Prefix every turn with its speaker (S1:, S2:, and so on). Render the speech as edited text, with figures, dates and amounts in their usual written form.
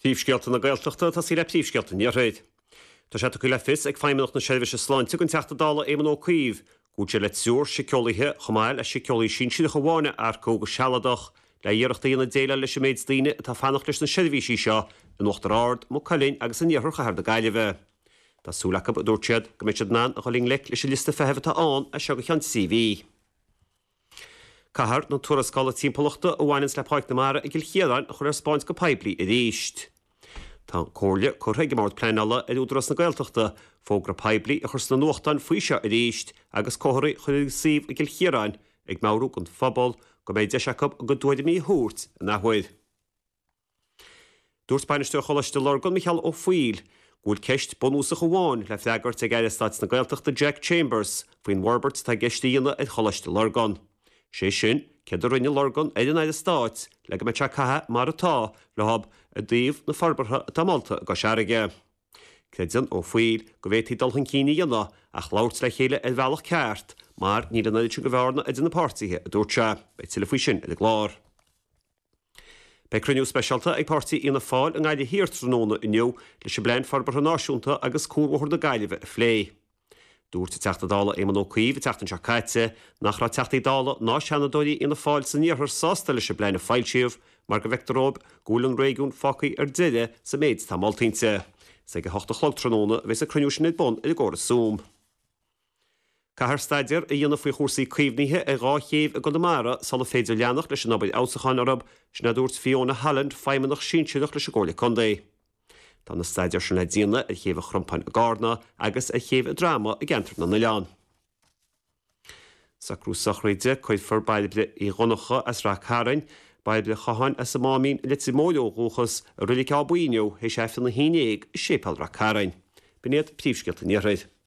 S1: Príomhscéalta na Gaeltachta, ag tosaí le príomhscéalta an Iarthair. Tá sé tugtha le fios ag Feidhmeannacht na Seirbhíse Sláinte don Teachta Dála Éamon Ó Cuív go bhfuil siad le triúr siceolaithe chomh maith le síceolaí sinsearach amháin a earcú go sealadach le iarracht a dhéanamh déileáil leis an méid daoine atá ag fanacht leis na seirbhísí seo in Uachtar Ard, Maigh Cuilinn agus in iarthar chathair na Gaillimhe. Tá súil acu, a dúirt siad, go mbeidh siad in ann a dhul i ngleic leis an liosta feithimh atá ann as seo go ceann 3 mhí. Caithfear na tuarascála timpeallachta a bhaineanns le Páirc na Mara i gCill Chiaráin a chur ar spáint go poiblí arís. Tá an comhairle curtha ag an mBord Pleanála ar Údarás na Gaeltachta fógra poiblí a chur sna nuachtáin faoi seo arís agus comharthaí a chur ar an suíomh i gCill Chiaráin ag meabhrú don phobal go mbeidh deis acu a gcuid tuairimí a thabhairt in athuair. Dúirt Bainisteoir Choláiste Lurgan, Micheál Ó Foighil, go bhfuil ceist bunúsach amháin le freagairt ag Aire Stáit na Gaeltachta Jack Chambers faoin bhforbairt atá i gceist a dhéanamh ar Choláiste Lurgan. Sé sin, céard a rinne Lurgan ar an Aire Stáit le go mbeadh sé ag caitheamh mar atá leo i dtaobh na forbartha atá molta i gCois Fharraige. Creideann Ó Foighil go bhféadfaí dul chun cinn a dhéanamh ach labhairt le chéile ar bhealach ceart mar níl an oiread sin de bhearna idir na páirtithe, a dúirt sé. Beidh tuilleadh faoi sin ar an gclár. Beidh cruinniú speisialta ag páirtí Fhianna Fáil i nGaillimh Thiar tráthnóna inniu leis an bPlean Forbartha Náisiúnta agus Cuarbhóthar na Gaillimhe a phlé. Dúirt an Teachta Dála Éamon Ó Cuív an tseachtain seo caite nach raibh Teachtaí Dála ná Seanadóirí Fhianna Fáil san iarthar sásta leis an bplean a foilsíodh mar go bhfeictear dóibh go bhfuil an réigiún fágtha ar deireadh sa méid atá molta inti. Is ag a hocht a chlog tráthnóna a bheas an cruinniú sin ar bun ar an gcóras Zoom. Caithfear staidéar a dhéanamh faoi chúrsaí caomhnaithe ar dhá chéibh i gConamara sula féidir leanacht leis an obair fheabhsúcháin orthu, sin a dúirt Fiona Holland, Feidhmeannach Sinsearach leis an gComhairle Contae. Tá na staidéir sin le déanamh ar Chéibh an Chrompáin i gCarna agus ar Chéibh an Droma i gCeantar na nOileán. Socrú sochraide, Cuirfear Bairbre Uí Dhonncha as Rath Cairn, Bairbre Chatháin as an Máimín i Leitir Móir ó dhúchas, i Reilig Áth Buí inniu théis Aifreann a haon dhéag i Séipéal Rath Cairn. B'in iad príomhscéalta an Iarthair.